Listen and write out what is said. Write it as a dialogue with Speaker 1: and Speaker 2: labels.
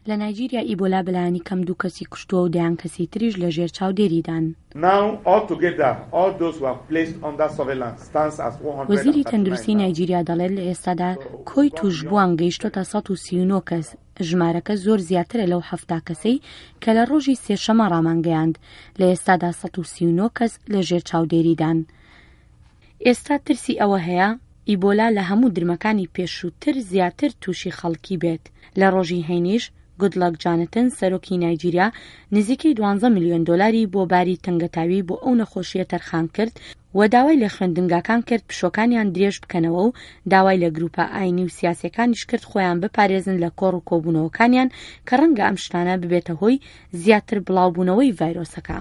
Speaker 1: لە نایجیریا ئیبۆلا بەلایەنی کەم دوو کەسی کوشتووە و دەیان کەسی تریش لە ژێر چاودێریدان. وەزیری تەندروستی نایجیریا دەڵێت لە ئێستادا کۆی تووشبووان گەیشتۆتە 139 کەس، ژمارەکە زۆر زیاترە لەو 70 کەسەی کە لە ڕۆژی سێشەمە ڕامانگەیاند، لە ئێستادا 139 کەس لە ژێر چاودێریدان. ئێستا ترسی ئەوە هەیە ئیبۆلا لە هەموو درمەکانی پێشووتر زیاتر تووشی خەڵکی بێت. لە ڕۆژی هەینیش گودڵەک جانتن سەرۆکی نایجیریا نزیکەی دوانزە ملیۆن دۆلاری بۆ باری تەنگەتاوی بۆ ئەو نەخۆشییە تەرخان کرد و داوای لە خوێندنگاکان کرد پشووەکانیان درێژ بکەنەوە و داوای لە گروپە ئاینی و سیاسیەکانیش کرد خۆیان بپارێزن لە کۆڕ و کۆبوونەوەکانیان کە ڕەنگە ئەم شتانە ببێتە هۆی زیاتر بڵاوبوونەوەی ڤایرۆسەکە.